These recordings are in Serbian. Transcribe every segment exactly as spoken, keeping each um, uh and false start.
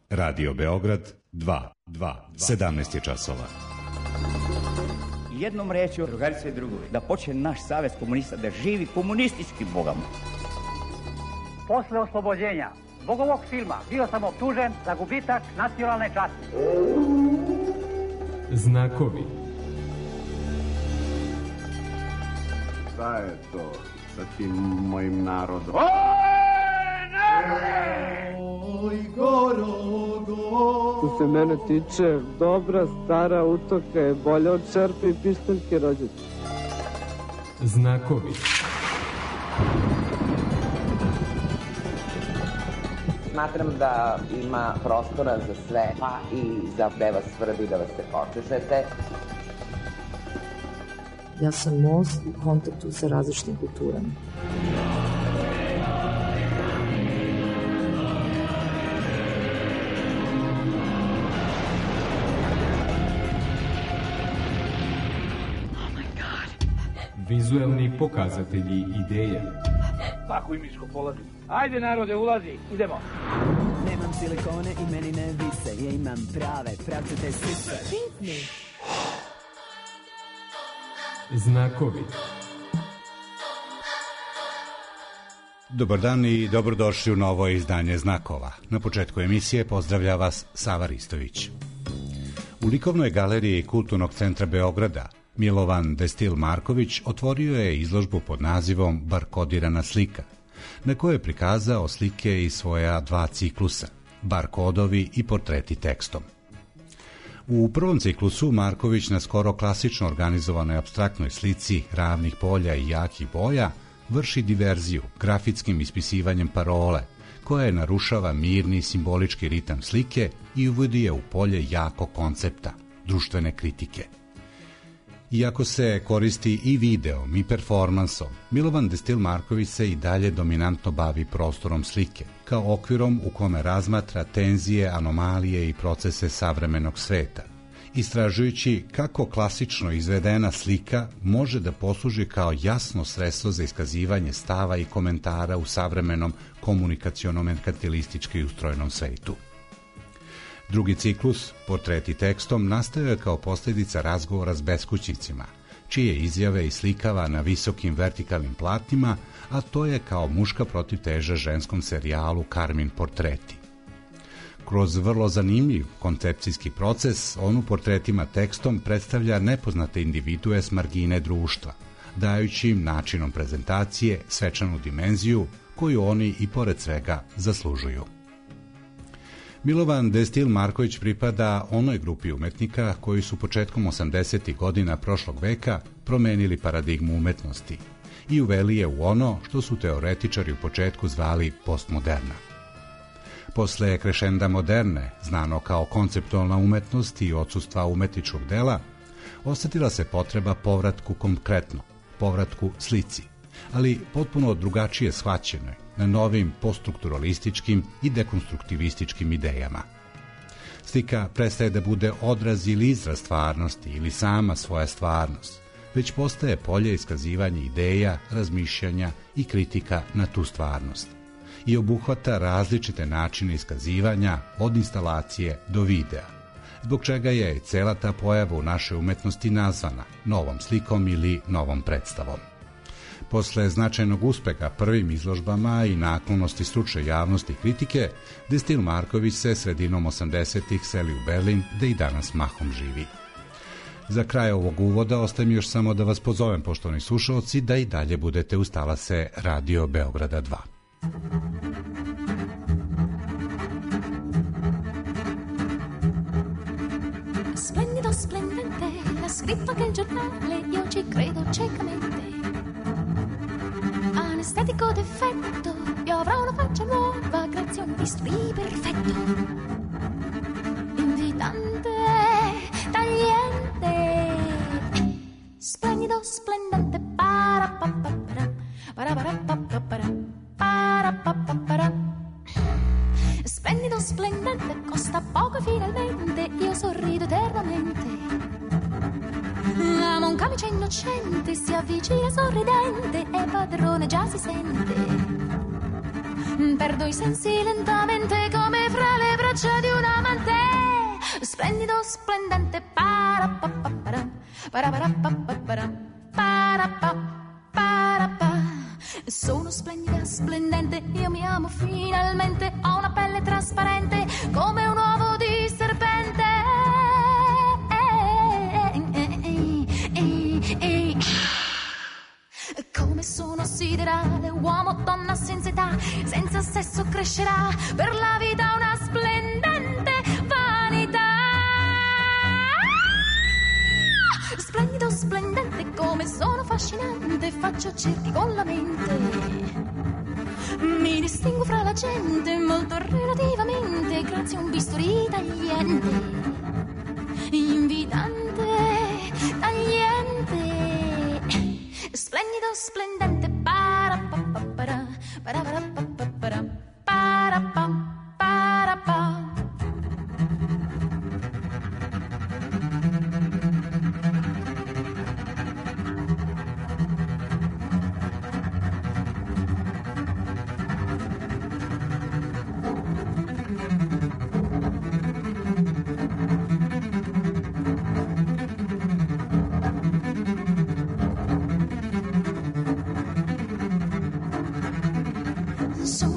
Radio Beograd dva, dva, sedamnaest je časova. Jednom rečju, drugarice i drugovi, da počne naš savez komunista da živi komunističkim bogama. Posle oslobođenja zbog ovog filma bio sam optužen za gubitak nacionalne časti. Znakovi. Šta je to sa tim mojim narodom? Oj, goro, goro. Što se mene tiče, dobra stara utoka je bolja od čerpe i pištaljke rođaca. Znakovi. Smatram da ima prostora za sve, pa i za da vas svrbi, da vas se počešete. Ja sam most u kontaktu sa različitim kulturama. Vizuelni pokazatelji ideje. Tako i miško polazi. Ajde narode, ulazi, idemo. Nemam silikone i meni ne vise, ja imam prave, pravcate sise. Pitni. Znakovi. Dobar dan i dobrodošli u novo izdanje Znakova. Na početku emisije pozdravlja vas Sava Ristović. U likovnoj galeriji Kulturnog centra Beograda Milovan Destil Marković otvorio je izložbu pod nazivom Barkodirana slika, na kojoj je prikazao slike iz svoja dva ciklusa, barkodovi i portreti tekstom. U prvom ciklusu Marković na skoro klasično organizovanoj apstraktnoj slici ravnih polja i jakih boja vrši diverziju grafitskim ispisivanjem parole, koja narušava mirni simbolički ritam slike i uvodi je u polje jakog koncepta, društvene kritike. Iako se koristi i videom i performansom, Milovan Destil Marković se i dalje dominantno bavi prostorom slike, kao okvirom u kome razmatra tenzije, anomalije i procese savremenog sveta, istražujući kako klasično izvedena slika može da posluži kao jasno sredstvo za iskazivanje stava i komentara u savremenom komunikaciono-merkantilistički ustrojenom svetu. Drugi ciklus, portreti tekstom, nastao je kao posljedica razgovora s beskućnicima, čije izjave islikava na visokim vertikalnim platnima, a to je kao muška protivteža ženskom serijalu Karmin portreti. Kroz vrlo zanimljiv koncepcijski proces, on u portretima tekstom predstavlja nepoznate individue s margine društva, dajući im načinom prezentacije svečanu dimenziju koju oni i pored svega zaslužuju. Milovan Destil Marković pripada onoj grupi umetnika koji su početkom osamdesetih godina prošlog veka promenili paradigmu umetnosti i uveli je u ono što su teoretičari u početku zvali postmoderna. Posle krešenda moderne, znano kao konceptualna umetnost i odsustva umetničkog dela, osetila se potreba povratku konkretno, povratku slici, ali potpuno drugačije shvaćenoj, na novim poststrukturalističkim i dekonstruktivističkim idejama. Slika prestaje da bude odraz ili izraz stvarnosti ili sama svoja stvarnost, već postaje polje iskazivanja ideja, razmišljanja i kritika na tu stvarnost i obuhvata različite načine iskazivanja od instalacije do videa, zbog čega je cela ta pojava u našoj umetnosti nazvana novom slikom ili novom predstavom. Posle značajnog uspeha prvim izložbama i naklonosti stručne javnosti i kritike, Destil Marković se sredinom osamdesetih seli u Berlin, gde i danas mahom živi. Za kraj ovog uvoda ostaje mi još samo da vas pozovem, poštovani slušaoci, da i dalje budete uz talase Radio Beograda dva. Splendido, splendente, l'ha scritto anche il giornale, io ci credo ciecamente. Anestetico d'effetto, io avrò una faccia nuova grazie a un visto perfetto. Invitante, tagliente, splendido, splendente, para pa pa para, para para pa pa para, para pa pa para. Splendido, splendente, costa poco e finalmente io sorrido eternamente. Amo un camice innocente, si avvicina sorridente e padrone già si sente. Perdo i sensi lentamente come fra le braccia di una splendido, splendente, para pa pa para, para para pa pa para, para pa para pa. Sono splendida, splendente, io mi amo finalmente, ho una pelle trasparente come un uovo di serpente. Come sono siderale, uomo, donna senza età, senza sesso crescerà, per la vita una splendente vanità. Splendido, splendente, come sono affascinante, faccio cerchi con la mente. Mi distingo fra la gente, molto relativamente, grazie a un bisturi tagliente, invitante, tagliente. Splendido, splendente, para pa pa para, para para pa pa para, para pa para pa.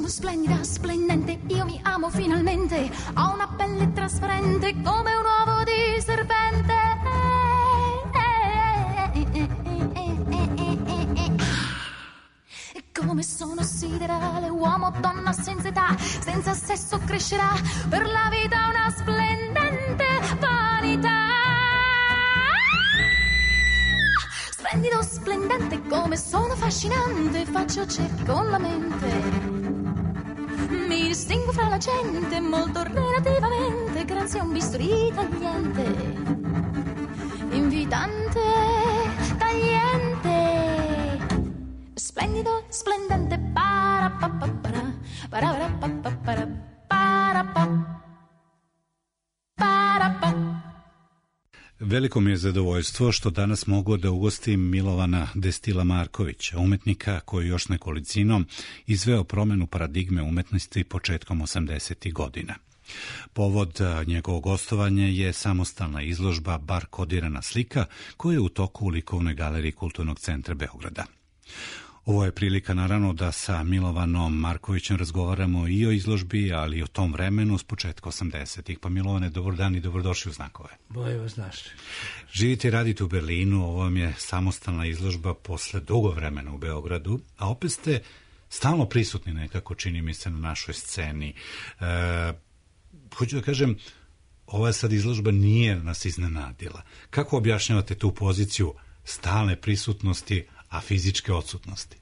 Splendida, splendente, io mi amo finalmente, ho una pelle trasparente come un uovo di serpente. Come sono siderale, uomo, donna senza età, senza sesso crescerà, per la vita una splendente vanità. Splendido, splendente, come sono affascinante, faccio cerchi con la mente. Mi distingo fra la gente, molto relativamente, grazie a un bisturi tagliente, invitante, tagliente. Splendido, splendente, para pa pa para, para para pa pa para, para pa para pa. Veliko mi je zadovoljstvo što danas mogu da ugostim Milovana Destila Markovića, umetnika koji još nekolicinom izveo promenu paradigme umetnosti početkom osamdesetih godina. Povod njegovog gostovanja je samostalna izložba Bar kodirana slika koja je u toku u Likovnoj galeriji Kulturnog centra Beograda. Ovo je prilika naravno da sa Milovanom Markovićem razgovaramo i o izložbi, ali i o tom vremenu s početka osamdesetih. Pa Milovane, dobar dan i dobrodošli u Znakove. Bolje vas našli. Živite i radite u Berlinu, ovo vam je samostalna izložba posle dugo vremena u Beogradu, a opet ste stalno prisutni nekako, čini mi se, na našoj sceni. E, hoću da kažem, ova sad izložba nije nas iznenadila. Kako objašnjavate tu poziciju stalne prisutnosti, a fizičke odsutnosti?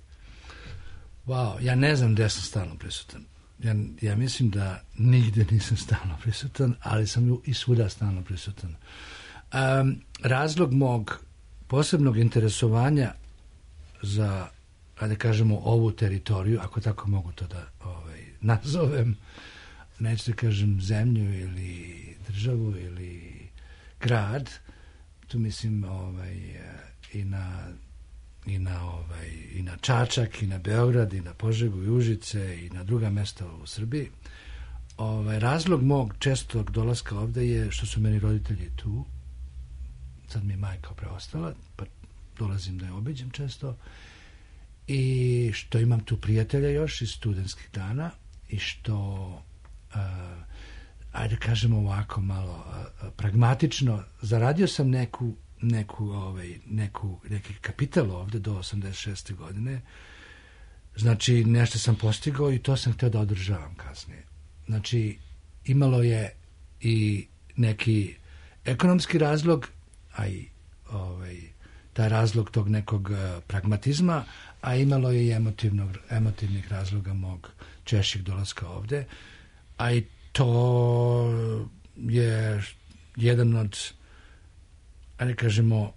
Wow, ja ne znam gde sam stalno prisutan. Ja, ja mislim da nigde nisam stalno prisutan, ali sam i svuda stalno prisutan. Um, razlog mog posebnog interesovanja za, da kažemo, ovu teritoriju, ako tako mogu to da ovaj, nazovem, neću da kažem zemlju ili državu ili grad, tu mislim ovaj, i na i na ovaj i na Čačak i na Beograd i na Požegu i Užice i na druga mesta u Srbiji. Ovaj razlog mog čestog dolaska ovde je što su meni roditelji tu. Sad mi je majka preostala, pa dolazim da je obiđem često. I što imam tu prijatelja još iz studentskih dana i što uh, ajde kažemo ovako malo uh, pragmatično zaradio sam neku neku, ovaj, neku, neki kapital ovde do osamdeset šeste godine. Znači, nešto sam postigao i to sam hteo da održavam kasnije. Znači, imalo je i neki ekonomski razlog, a i ovaj, taj razlog tog nekog uh, pragmatizma, a imalo je i emotivnog, emotivnih razloga mog češćeg dolaska ovde, a i to je jedan od, ali kažemo,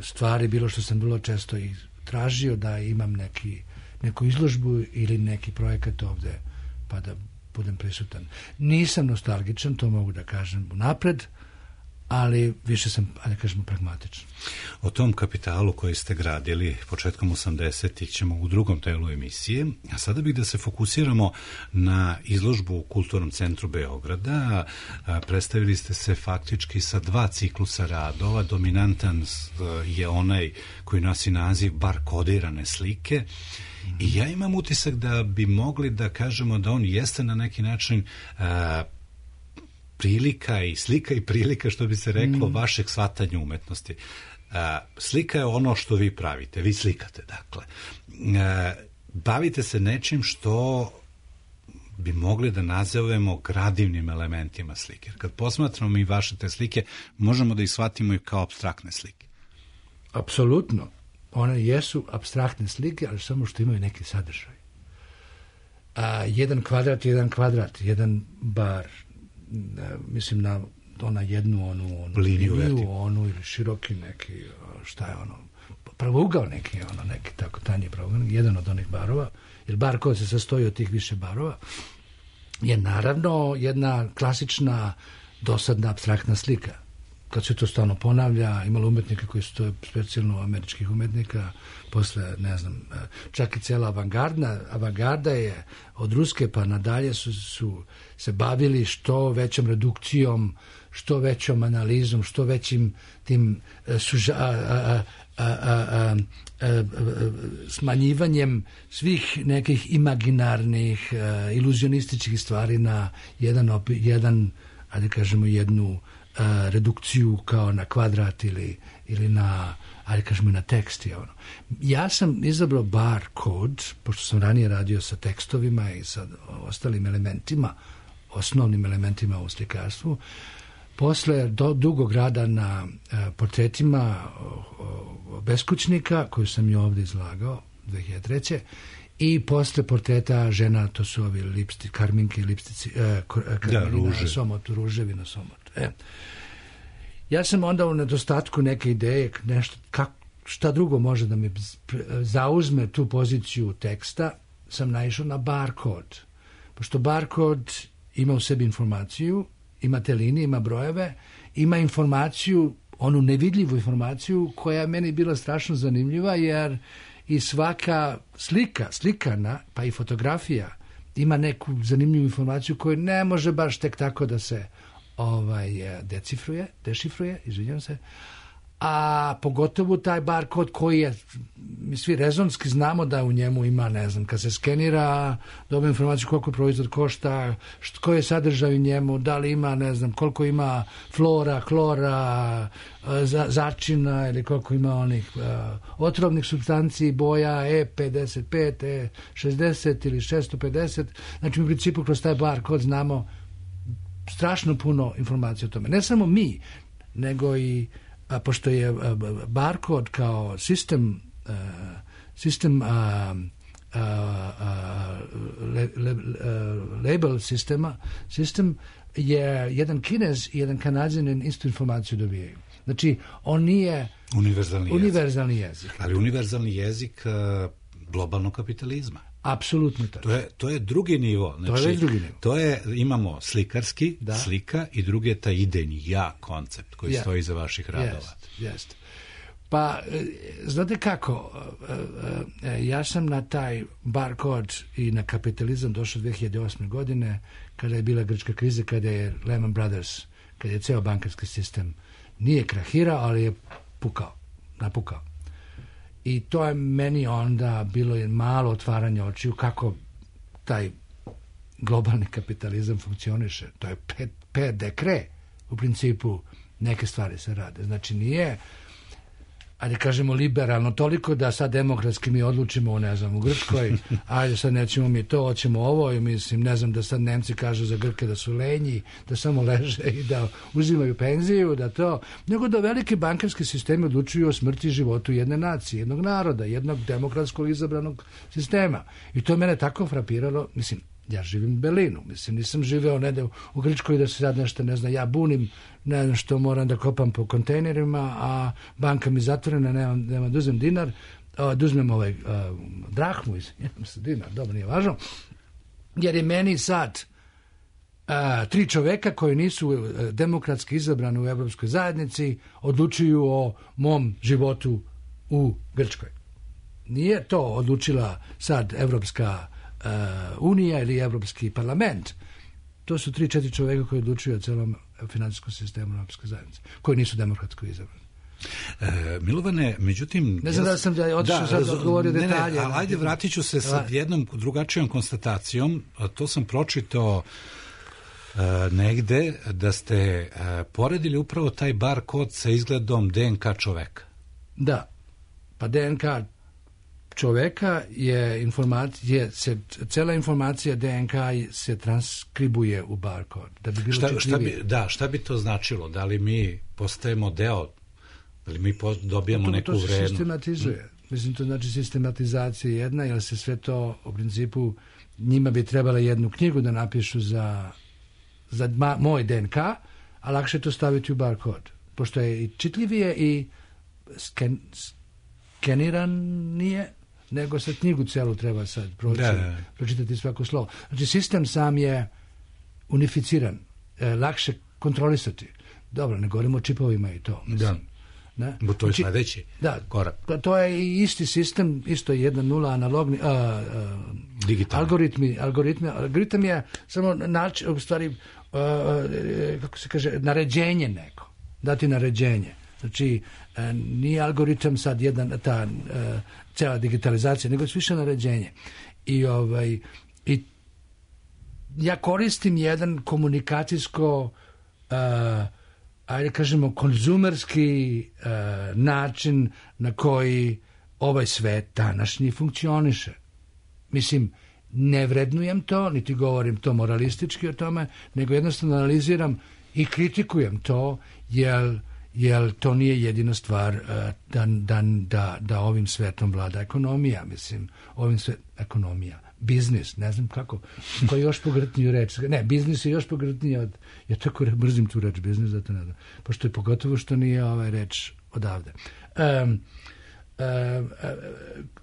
stvari bilo što sam vrlo često i tražio da imam neki, neku izložbu ili neki projekat ovde, pa da budem prisutan. Nisam nostalgičan, to mogu da kažem unapred, ali više sam, da kažemo, pragmatičan. O tom kapitalu koji ste gradili početkom osamdesetih ćemo u drugom delu emisije, a sada bih da se fokusiramo na izložbu u Kulturnom centru Beograda. Predstavili ste se faktički sa dva ciklusa radova. Dominantan je onaj koji nosi naziv bar kodirane slike. I ja imam utisak da bi mogli da kažemo da on jeste na neki način a, prilika i slika i prilika, što bi se reklo, mm. vašeg shvatanja umetnosti. A, slika je ono što vi pravite, vi slikate, dakle. A, bavite se nečim što bi mogli da nazovemo gradivnim elementima slike. Kad posmatramo mi vaše te slike, možemo da ih shvatimo i kao apstraktne slike. Apsolutno. One jesu apstraktne slike, ali samo što imaju neki sadržaj. A, jedan kvadrat, jedan kvadrat, jedan bar, a, mislim na ona jednu, onu, onu liniju, liniju onu ili široki neki, šta je ono, pravougao neki, ono, neki tako tanji pravougao, jedan od onih barova, jer bar koji se sastoji od tih više barova, je naravno jedna klasična dosadna apstraktna slika. Kad se to stalno ponavlja, imalo umetnika koji su to specijalno američkih umetnika, posle, ne znam, čak i cela avangarda, avangarda je od Ruske pa nadalje su, su se bavili što većom redukcijom, što većom analizom, što većim tim suža, a, a, a, a, a, a, smanjivanjem svih nekih imaginarnih, a, iluzionističkih stvari na jedan, opi, jedan ajde kažemo, jednu a, redukciju kao na kvadrat ili, ili na, ajde kažemo, na tekst. Je ono. Ja sam izabrao bar kod, pošto sam ranije radio sa tekstovima i sa ostalim elementima, osnovnim elementima u slikarstvu. Posle do, dugog rada na e, portretima o, o, beskućnika, koju sam i ovdje izlagao dve hiljade treće. I posle portreta žena, to su ovi lipsti, karminke, lipstici, e, karmelina, da, somot, ruževi na somotu. E. Ja sam onda u nedostatku neke ideje, nešto, kak, šta drugo može da mi zauzme tu poziciju teksta, sam naišao na barkod. Pošto barkod ima u sebi informaciju, ima te linije, ima brojeve, ima informaciju, onu nevidljivu informaciju koja je meni bila strašno zanimljiva, jer i svaka slika, slikana, pa i fotografija, ima neku zanimljivu informaciju koju ne može baš tek tako da se ovaj, decifruje, dešifruje, izvinjam se, a pogotovo taj barkod koji je, mi svi rezonski znamo da u njemu ima, ne znam, kad se skenira, dobije informaciju koliko proizvod košta, što, koji je sadržaj u njemu, da li ima, ne znam, koliko ima flora, klora, za, začina ili koliko ima onih uh, otrovnih supstanci, boja E pedeset pet, E šezdeset ili šesto pedeset. Znači, u principu kroz taj barkod znamo strašno puno informacija o tome. Ne samo mi, nego i a pošto je barkod kao sistem uh, sistem uh, uh, uh, le, le, uh, label sistema, sistem je jedan Kinez i jedan Kanadjanin istu informaciju dobijaju. Znači, on nije univerzalni, univerzalni jezik. jezik. Ali univerzalni jezik uh, globalnog kapitalizma. Apsolutno tako. To je, to je drugi nivo. Znači, to je drugi nivo. To je, imamo slikarski, da. slika i drugi je taj idejni ja koncept koji yeah. stoji iza vaših radova. Jest, jest. Pa, znate kako, ja sam na taj barkod i na kapitalizam došao dve hiljade osme. godine, kada je bila grčka kriza, kada je Lehman Brothers, kada je ceo bankarski sistem nije krahirao, ali je pukao, napukao. I to je meni onda bilo malo otvaranje očiju kako taj globalni kapitalizam funkcioniše. To je pet, pet dekre, u principu neke stvari se rade. Znači nije, ajde kažemo, liberalno toliko da sad demokratski mi odlučimo, ne znam, u Grčkoj, ajde sad nećemo mi to, hoćemo ovo, i mislim, ne znam, da sad Nemci kažu za Grke da su lenji, da samo leže i da uzimaju penziju, da to, nego da velike bankarske sisteme odlučuju o smrti i životu jedne nacije, jednog naroda, jednog demokratskog izabranog sistema. I to je mene tako frapiralo, mislim, ja živim u Berlinu, mislim, nisam živeo negde u Grčkoj da se sad nešto, ne znam, ja bunim, ne znam što moram da kopam po kontejnerima, a banka mi zatvorena, nemam, nemam da uzmem dinar, da uzmem ovaj uh, drahmu, izvinjam se, dinar, dobro, nije važno, jer je meni sad uh, a, tri čoveka koji nisu a, demokratski izabrani u Evropskoj zajednici odlučuju o mom životu u Grčkoj. Nije to odlučila sad Evropska a, unija ili Evropski parlament. To su tri, četiri čoveka koji odlučuju o celom finansijskom sistemu Evropske zajednice, koji nisu demokratsko izabrani. E, Milovane, međutim... Ne znam da sam da otišao da, sad odgovorio detalje. Ne, ne, ali ajde, vratit ću se sa jednom drugačijom konstatacijom. To sam pročitao e, negde da ste e, poredili upravo taj bar kod sa izgledom D N K čoveka. Da, pa D N K čoveka je informacija, se, cela informacija D N K se transkribuje u bar kod. Da bi bilo šta, šta bi, da, šta bi to značilo? Da li mi postajemo deo, da li mi dobijamo to, neku to se vrednu? sistematizuje. Hmm. Mislim, to znači sistematizacija jedna, jer se sve to, u principu, njima bi trebala jednu knjigu da napišu za, za ma, moj D N K, a lakše to staviti u bar kod. Pošto je i čitljivije i sken, skeniranije, nego sad knjigu celu treba sad proći, da, da. pročitati svako slovo. Znači, sistem sam je unificiran, e, lakše kontrolisati. Dobro, ne govorimo o čipovima i to. Mislim. Da, bo to je znači, sledeći da, korak. To, to je i isti sistem, isto je jedna nula analogni, a, a, algoritmi, algoritmi, algoritam je samo način, u stvari, a, a, kako se kaže, naređenje neko, dati naređenje. Znači, a, nije algoritam sad jedan, ta a, cela digitalizacija, nego je više naređenje. I, ovaj, i ja koristim jedan komunikacijsko a, ajde kažemo konzumerski uh, način na koji ovaj svet današnji funkcioniše. Mislim, ne vrednujem to, niti govorim to moralistički o tome, nego jednostavno analiziram i kritikujem to, jer, jer to nije jedina stvar uh, da, da, da, da ovim svetom vlada ekonomija, mislim, ovim svetom ekonomija. Biznis, ne znam kako, koji je još pogrdniju reč. Ne, biznis je još pogrdniji od... Ja tako mrzim tu reč, biznis, zato ne znam. Pošto je pogotovo što nije ovaj reč odavde. Um, um,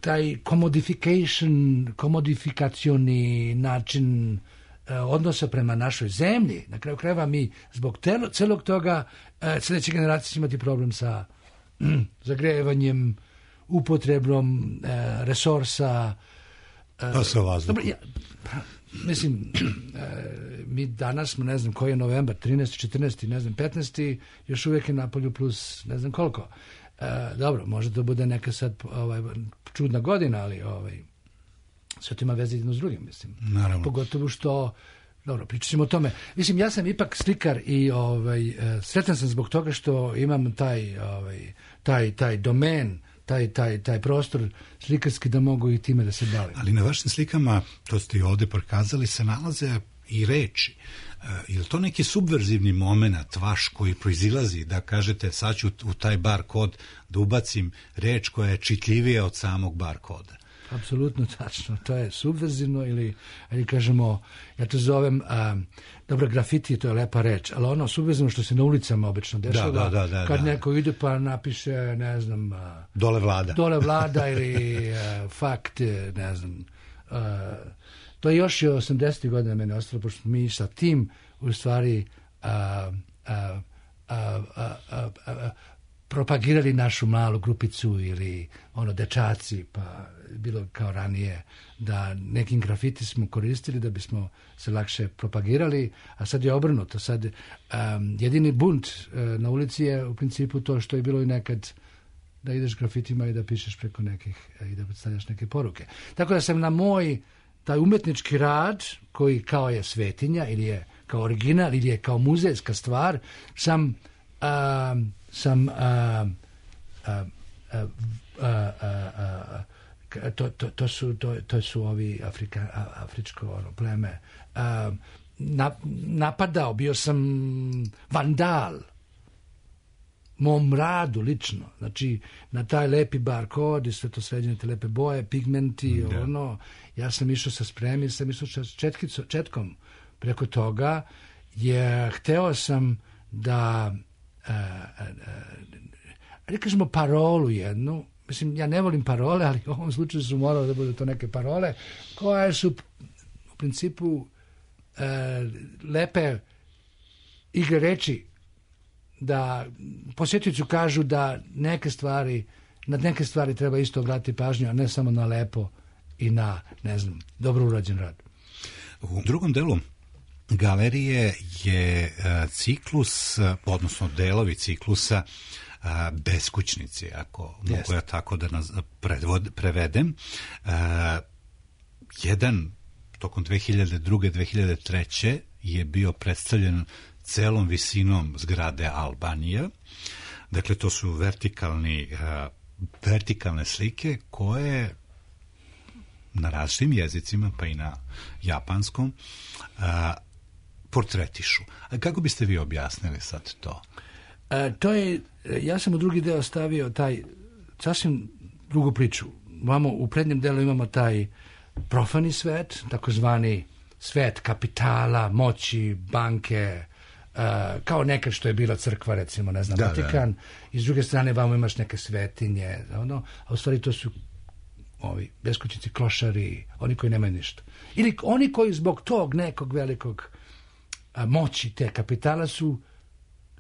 taj commodification, komodifikacioni način uh, odnosa prema našoj zemlji, na kraju krajeva mi zbog telo, celog toga uh, sljedeće generacije će imati problem sa um, zagrevanjem, upotrebom uh, resursa. A sa vazduhom. Dobro, ja, mislim, e, mi danas smo, ne znam, koji je novembar, trinaesti, četrnaesti, ne znam, petnaesti, još uvijek je napolju plus ne znam koliko. E, dobro, može da bude neka sad ovaj, čudna godina, ali ovaj, sve to ima veze jedno s drugim, mislim. Naravno. Pogotovo što, dobro, pričat ćemo o tome. Mislim, ja sam ipak slikar i ovaj, e, sretan sam zbog toga što imam taj, ovaj, taj, taj domen, Taj, taj, taj prostor slikarski da mogu i time da se bavim. Ali na vašim slikama, to ste i ovde prikazali, se nalaze i reči. E, je li to neki subverzivni moment vaš koji proizilazi da kažete sad ću u taj bar kod da ubacim reč koja je čitljivija od samog bar koda? Apsolutno tačno. To je subverzivno ili, ili kažemo, ja to zovem, a, dobro, grafiti, to je lepa reč, ali ono subverzivno što se na ulicama obično dešava, da, da, da, kad da. neko ide pa napiše, ne znam... A, dole vlada. Dole vlada ili a, fakt, ne znam. A, to je još i osamdesetih godina mene ostalo, pošto mi sa tim u stvari a, a, a, a, a, a, propagirali našu malu grupicu ili ono dečaci, pa bilo kao ranije da nekim grafiti smo koristili da bismo se lakše propagirali, a sad je obrnuto. Sad um, jedini bunt uh, na ulici je u principu to što je bilo i nekad da ideš grafitima i da pišeš preko nekih i da predstavljaš neke poruke. Tako da sam na moj taj umetnički rad koji kao je svetinja ili je kao original ili je kao muzejska stvar sam um, sam a, a, a, a, a, a, to, to, to, su, to, to su ovi Afrika, afričko ono, pleme a, na, napadao, bio sam vandal mom radu lično, znači na taj lepi bar kod i sve to sređene te lepe boje, pigmenti, mm, ono, ja sam išao sa spremi, sam išao sa četkico, četkom preko toga, jer hteo sam da ali kažemo parolu jednu, mislim, ja ne volim parole, ali u ovom slučaju su morale da budu to neke parole koje su u principu e, lepe igre reči, da posjetiocu kažu da neke stvari, na neke stvari treba isto obratiti pažnju, a ne samo na lepo i na, ne znam, dobro urađen rad. U drugom delu galerije je ciklus, odnosno delovi ciklusa beskućnici, ako yes. mogu ja tako da nas predvod, prevedem. Jedan tokom dve hiljade druge. dve hiljade treće. je bio predstavljen celom visinom zgrade Albanija. Dakle, to su vertikalni, vertikalne slike koje na različitim jezicima, pa i na japanskom, portretišu. A kako biste vi objasnili sad to? E, to je, ja sam u drugi deo stavio taj sasvim drugu priču. Vamo, u prednjem delu imamo taj profani svet, takozvani svet kapitala, moći, banke, uh, kao nekad što je bila crkva, recimo, ne znam, da, Vatikan. Da. I s druge strane vamo imaš neke svetinje, ono, a u stvari to su ovi beskućnici, klošari, oni koji nemaju ništa. Ili oni koji zbog tog nekog velikog a, moći te kapitala su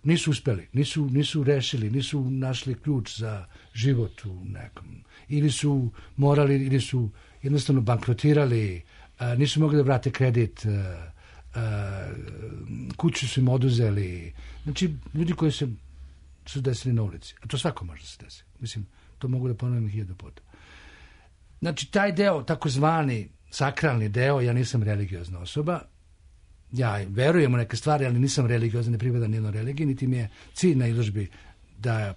nisu uspeli, nisu, nisu rešili, nisu našli ključ za život u nekom. Ili su morali, ili su jednostavno bankrotirali, a, nisu mogli da vrate kredit, a, a, kuću su im oduzeli. Znači, ljudi koji se su desili na ulici. A to svako može da se desi. Mislim, to mogu da ponovim hiljadu puta. Znači, taj deo, takozvani sakralni deo, ja nisam religiozna osoba, ja verujem u neke stvari, ali nisam religiozna, ne pripadam nijednoj religiji, niti mi je cilj na izložbi da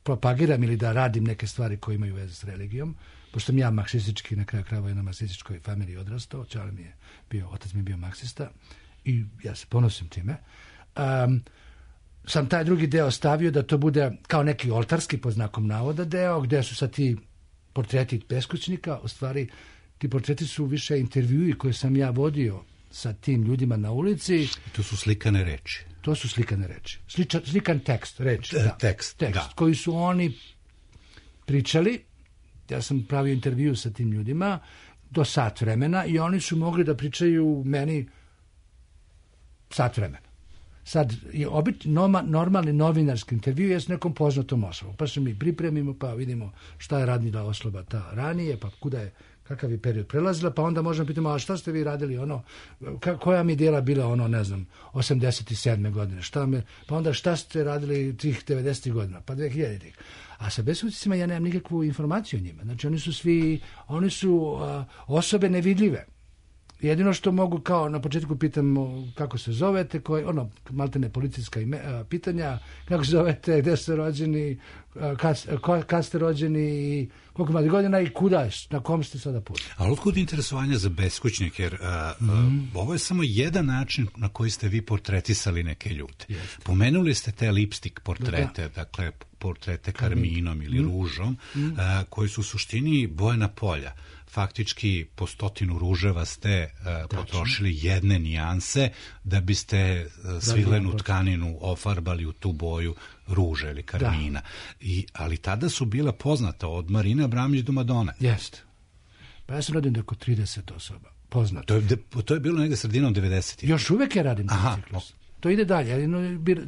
propagiram ili da radim neke stvari koje imaju veze s religijom, pošto sam ja marksistički, na kraju krajeva na marksističkoj familiji odrastao, čale mi je bio, otac mi je bio marksista i ja se ponosim time. Um, sam taj drugi deo stavio da to bude kao neki oltarski, pod znakom navoda, deo, gde su sad ti portreti beskućnika, u stvari ti portreti su više intervjui koje sam ja vodio sa tim ljudima na ulici. I to su slikane reči. To su slikane reči. Sličan, slikan tekst, reč. Da, da. Tekst, tekst da. Koji su oni pričali. Ja sam pravio intervju sa tim ljudima do sat vremena i oni su mogli da pričaju meni sat vremena. Sad, je obit, noma, normalni novinarski intervju je s nekom poznatom osobom. Pa se mi pripremimo, pa vidimo šta je radila osoba ta ranije, pa kuda je, kakav je period prelazila, pa onda možemo pitamo, a šta ste vi radili, ono, ka, koja mi djela bila, ono, ne znam, osamdeset sedme godine, šta me, pa onda šta ste radili tih devedesetih godina, pa dve hiljaditih. A sa beskućnicima ja nemam nikakvu informaciju o njima. Znači, oni su svi, oni su a, osobe nevidljive. Jedino što mogu, kao na početku pitam kako se zovete, koje, ono, maltene policijska ime, a, pitanja, kako se zovete, gde ste rođeni, a, kad, a, kad ste rođeni i koliko imate godina i kuda je, na kom ste sada putu. Ali otkud interesovanja za beskućnike, jer a, mm. a, ovo je samo jedan način na koji ste vi portretisali neke ljude. Jeste. Pomenuli ste te lipstick portrete, da. dakle, portrete karminom ili mm. ružom, mm. A, koji su u suštini bojena polja. Faktički po stotinu ruževa ste uh, potrošili jedne nijanse da biste uh, svilenu da, tkaninu ofarbali u tu boju ruže ili karmina. I, ali tada su bila poznata od Marine Abramović do Madone. Jeste. Pa ja sam radim oko trideset osoba. Poznato. To je, to je bilo negde sredinom devedesetih. Još uvek ja radim taj ciklus. To ide dalje. Ja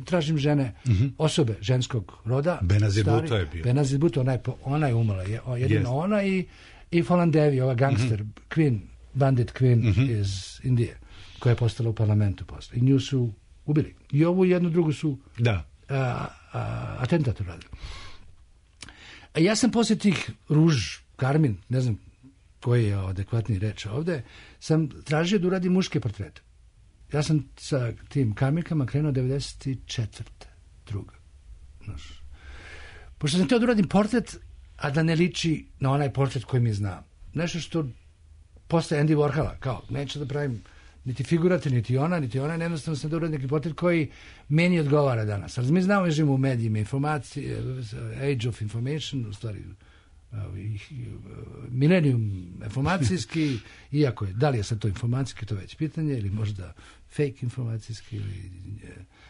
tražim žene, uh-huh. osobe ženskog roda. Benazir Bhutto je bio. Benazir Bhutto, ona je, ona je umrla. Jedino yes. ona i I Fallen Devi, ova gangster, mm-hmm. Queen, bandit Queen mm-hmm. iz Indije, koja je postala u parlamentu posle. I nju su ubili. I ovu jednu drugu su da. a, a, atentat uradili. A ja sam posle tih ruž, karmin, ne znam koji je adekvatni reč ovde, sam tražio da uradim muške portrete. Ja sam sa tim karminkama krenuo devedeset četvrte druga. Znaš. Pošto sam teo da uradim portret, a da ne liči na onaj portret koji mi znam. Nešto što posle Andy Warhola, kao, neću da pravim niti figurate, niti ona, niti ona, jednostavno sam da uradim neki portret koji meni odgovara danas. Ali mi znamo, živimo u medijima, informacije, age of information, u stvari, millennium informacijski, iako je, da li je sad to informacijski, to već pitanje, ili možda fake informacijski, ili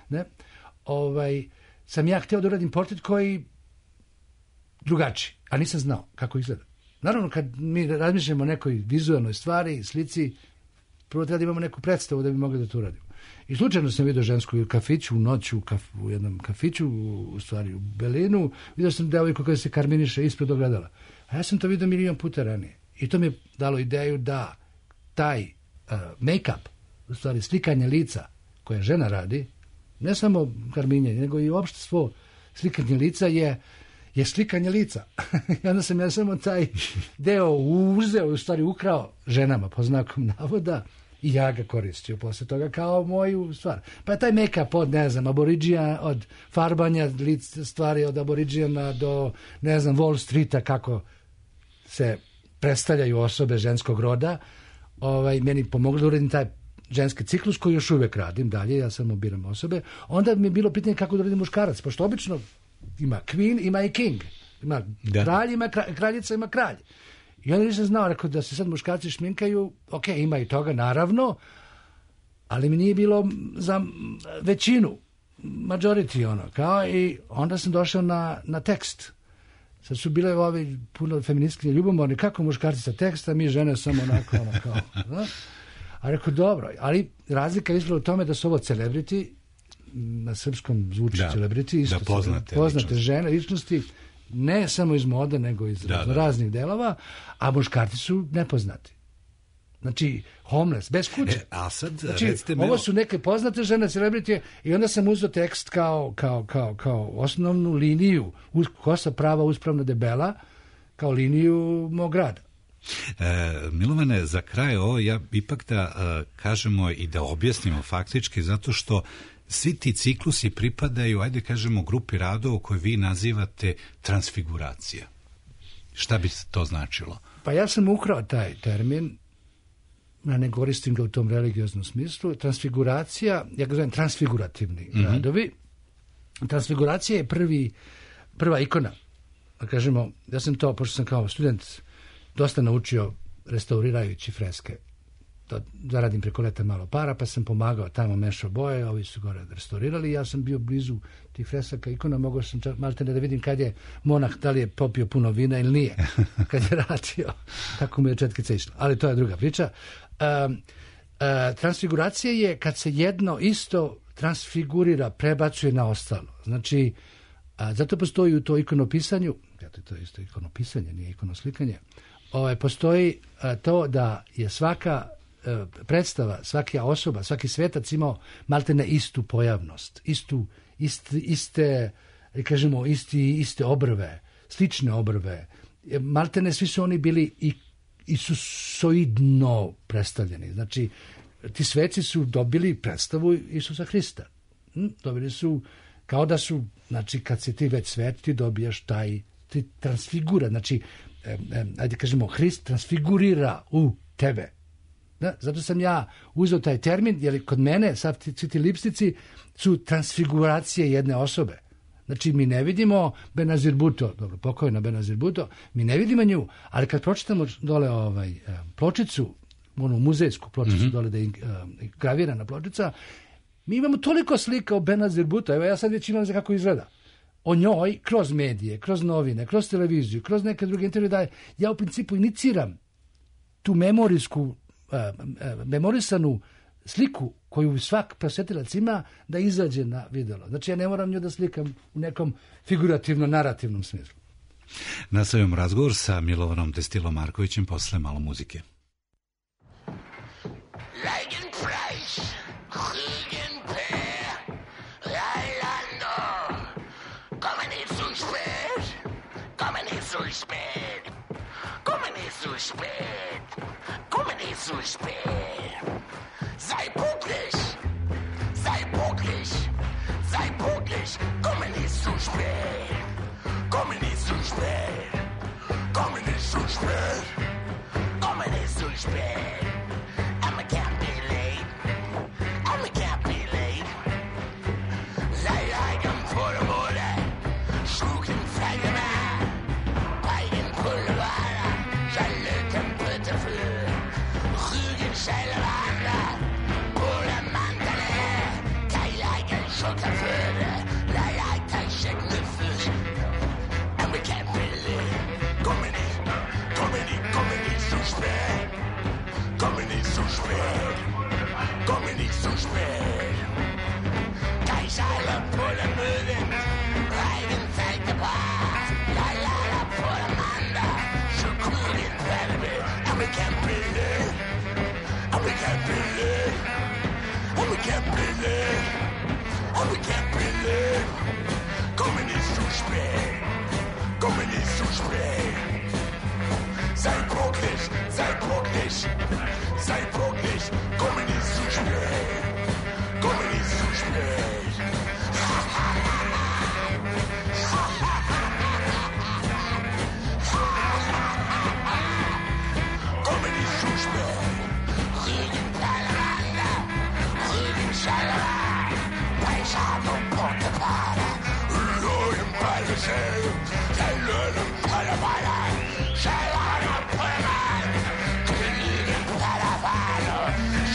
ne. Ovaj, sam ja hteo da uradim portret koji drugačiji, a nisam znao kako izgleda. Naravno, kad mi razmišljamo o nekoj vizualnoj stvari, slici, prvo treba da imamo neku predstavu da bi mogli da to uradimo. I slučajno sam vidio žensku u kafiću, u noću, u, kaf, u jednom kafiću, u, u stvari u Belinu, vidio sam devojku koja se karminiše ispred ogledala. A ja sam to vidio milion puta ranije. I to mi je dalo ideju da taj uh, make-up, u stvari slikanje lica koje žena radi, ne samo karminjenje, nego i uopšte svo slikanje lica je, je slikanje lica. I onda sam ja samo taj deo uzeo, u stvari ukrao ženama, po znakom navoda, i ja ga koristio posle toga kao moju stvar. Pa je taj make-up od, ne znam, aboriđija, od farbanja lic, stvari od aboriđijana do, ne znam, Wall Streeta, kako se predstavljaju osobe ženskog roda, ovaj, meni pomoglo da uradim taj ženski ciklus koji još uvek radim dalje, ja samo biram osobe. Onda mi je bilo pitanje kako da uradim muškarac, pošto obično ima queen, ima i king. Ima da. kralj, ima kralj, kraljica, ima kralj. I onda nisam znao, rekao da se sad muškarci šminkaju, ok, ima i toga, naravno, ali mi nije bilo za većinu, majority ono, kao i onda sam došao na, na tekst. Sad su bile ovi puno feministkinje ljubomorni, kako muškarci sa teksta, mi žene samo onako, ono, kao, da? A rekao, dobro, ali razlika je izgleda u tome da su ovo celebrity, na srpskom zvuči da, celebrity, isto da poznate, poznate ličnosti. žene, ličnosti, ne samo iz mode, nego iz da, da. raznih delova, a muškarci su nepoznati. Znači, homeless, bez kuće. E, a sad, znači, recite ovo su neke poznate žene, celebrity, i onda sam uzeo tekst kao, kao, kao, kao osnovnu liniju, uz, kosa prava, uspravna, debela, kao liniju mog rada. E, Milovane, za kraj ovo, ja ipak da e, kažemo i da objasnimo faktički, zato što svi ti ciklusi pripadaju, ajde kažemo, grupi radova koje vi nazivate transfiguracija. Šta bi to značilo? Pa ja sam ukrao taj termin, ja ne koristim ga u tom religioznom smislu. Transfiguracija, ja ga zovem transfigurativni mm-hmm. radovi. Transfiguracija je prvi, prva ikona. Da kažemo, ja sam to, pošto sam kao student dosta naučio restaurirajući freske. To zaradim preko leta malo para, pa sam pomagao tamo, mešao boje, ovi su gore restaurirali, ja sam bio blizu tih fresaka ikona, mogao sam čak malte ne da vidim kad je monah, da li je popio puno vina ili nije, kad je radio, tako mu je četkica išla, ali to je druga priča. Um, uh, transfiguracija je kad se jedno isto transfigurira, prebacuje na ostalo. Znači, a, zato postoji u to ikonopisanju, ja to je isto ikonopisanje, nije ikonoslikanje, ovaj, postoji a, to da je svaka predstava, svaka osoba, svaki svetac imao maltene istu pojavnost, istu, iste, iste kažemo, isti, iste obrve, slične obrve. Maltene svi su oni bili i isusoidno predstavljeni. Znači, ti sveci su dobili predstavu Isusa Hrista. Hm? Dobili su, kao da su, znači, kad se ti već svet, ti dobijaš taj, ti transfigura. Znači, eh, eh, ajde kažemo, Hrist transfigurira u tebe. Da, zato sam ja uzeo taj termin, jer kod mene svi ti, ti lipstici su transfiguracije jedne osobe. Znači, mi ne vidimo Benazir Bhutto, dobro, pokojna Benazir Bhutto, mi ne vidimo nju, ali kad pročitamo dole ovaj, pločicu, onu muzejsku pločicu, mm-hmm. dole da je gravirana pločica, mi imamo toliko slika o Benazir Bhutto, evo ja sad već imam za kako izgleda. O njoj, kroz medije, kroz novine, kroz televiziju, kroz neke druge intervjue, da ja u principu iniciram tu memorijsku memorisanu sliku koju svak prosjetilac ima da izađe na videlo. Znači ja ne moram nju da slikam u nekom figurativno-narativnom smislu. Nastavljamo razgovor sa Milovanom Destilom Markovićem posle malo muzike. Zu spät. Sei pünktlich, sei pünktlich, sei pünktlich. Komme nicht zu spät, komme nicht zu spät, komme nicht zu spät, komme nicht zu spät. I can't be late, I can't be late. Sei eigen vor der Bude, schlucken Feige mehr, Beigen Pulver, Schalöten bitte für. Scheilewanda, Pole Mandale, Keileigen Schotterföde, Leiter Schecknüffel. And we can't believe, komm nicht, komm nicht, komm nicht zu spät, komm nicht zu spät. believe, and we can't believe. Kommen nicht zu spät, kommen nicht zu spät. Sei pünktlich, sei pünktlich, sei pünktlich, kommen nicht zu spät, kommen nicht zu spät. Kommen nicht zu spät. Regen Palanda, Regen Schalala, Weisheit und Portepala, Löwen Pallisel, der Löwen Palabala, Schalala Palabala, Regen Palabala,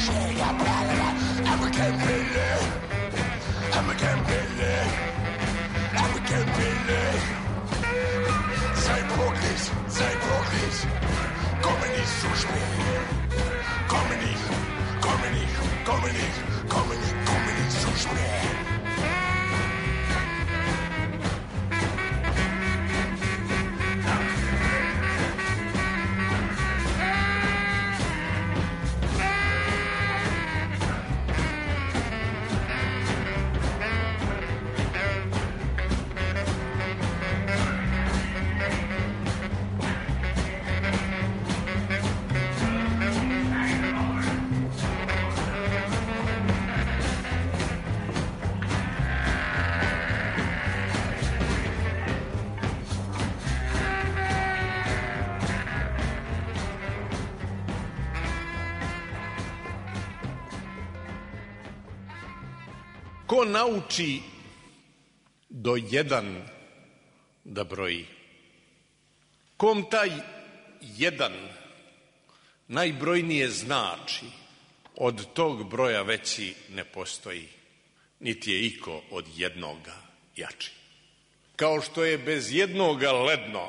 Schäger Palabala, aber kein Pille, aber kein Pille, aber kein Pille. Sei pünktlich, sei pünktlich, komme nicht zu spät. Komme nicht, komme nicht, komme nicht, komme nicht, komme nicht zu spät. Ko nauči do jedan da broji, kom taj jedan najbrojnije znači, od tog broja veći ne postoji, niti je iko od jednoga jači. Kao što je bez jednoga ledno,